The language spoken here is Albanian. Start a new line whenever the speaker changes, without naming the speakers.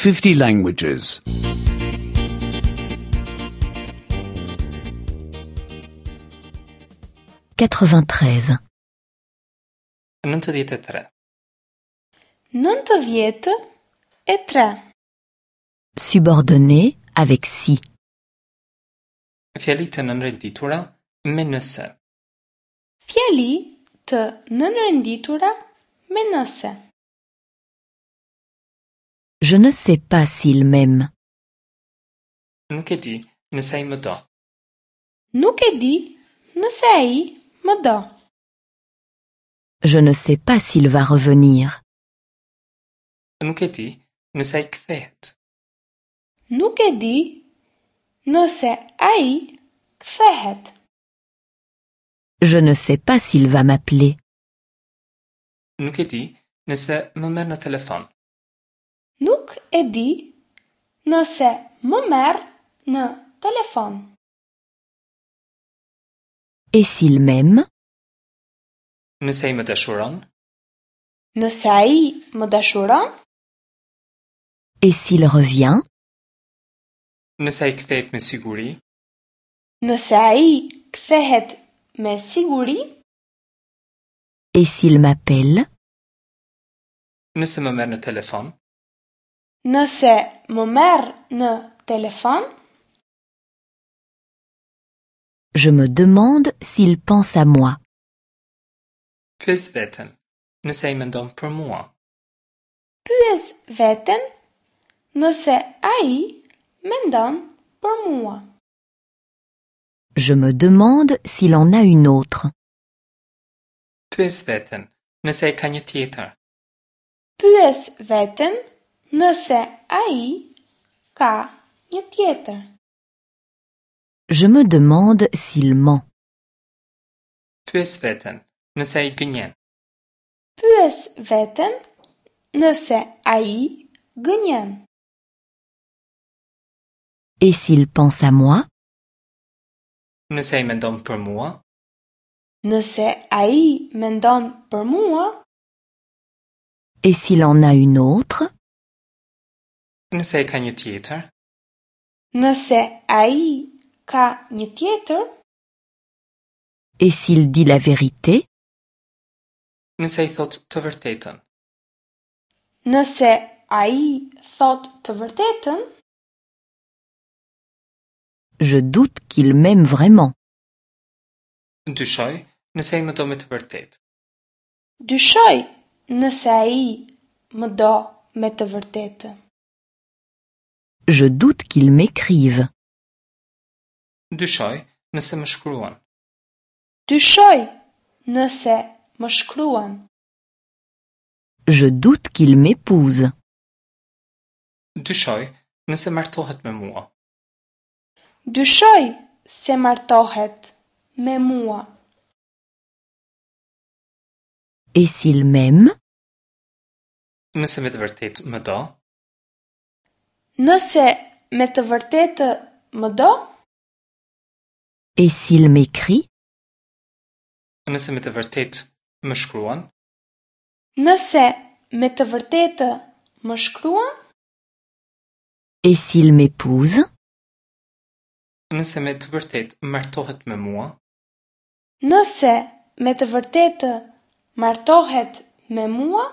50 languages.
93.
93.
93.
Subordonné avec si.
Fjali të nënrenditura me nëse.
Fjali të nënrenditura me nëse.
Je ne sais pas s'il m'aime.
Nuk e di nëse ai më do.
Nuk e di nëse ai më do.
Je ne sais pas s'il va revenir.
Nuk e di nëse ai kthehet.
Nuk e di nëse ai kthehet.
Je ne sais pas s'il va m'appeler.
Nuk e di nëse më merr në telefon.
Nuk e di nëse më merr në telefon.
Et s'il m'aime?
Nëse ai më dashuron?
Nëse ai më dashuron?
Et s'il revient?
Nëse ai kthehet me siguri?
Nëse ai kthehet me siguri?
Et s'il m'appelle?
Nëse më merr në telefon?
Nëse më merr në telefon?
Je me demande s'il pense à moi.
Pyes veten, nëse ai mendon për mua.
Pyes veten nëse ai mendon për mua.
Je me demande s'il en a une autre.
Pyes veten, nëse ai ka një tjetër.
Pyes veten nëse ai ka një tjetër.
Je me demande s'il ment.
Pyes veten, nëse ai gënjen.
Pyes veten nëse ai gënjen.
Et s'il pense à moi?
Nëse ai mendon për mua?
Nëse ai mendon për mua?
Et s'il en a une autre?
Nëse ai ka një tjetër?
Nëse ai ka një tjetër?
Et s'il dit la vérité?
Nëse ai thotë të vërtetën.
Nëse ai thotë të vërtetën?
Je doute qu'il m'aime vraiment.
Dyshoj nëse ai më do me të vërtetë.
Dyshoj nëse ai më do me të vërtetë.
Je doute qu'il m'écrive.
Dyshoj nëse më shkruan.
Dyshoj nëse më shkruan.
Je doute qu'il m'épouse.
Dyshoj nëse martohet me mua.
Dyshoj se martohet me mua.
Et s'il m'aime?
Nëse me të vërtetë më do?
Nëse me të vërtetë më do?
Et s'il m'écrit?
Nëse me të vërtetë më shkruan?
Nëse me të vërtetë më shkruan?
Et s'il m'épouse?
Nëse me të vërtetë martohet me mua?
Nëse me të vërtetë martohet me mua?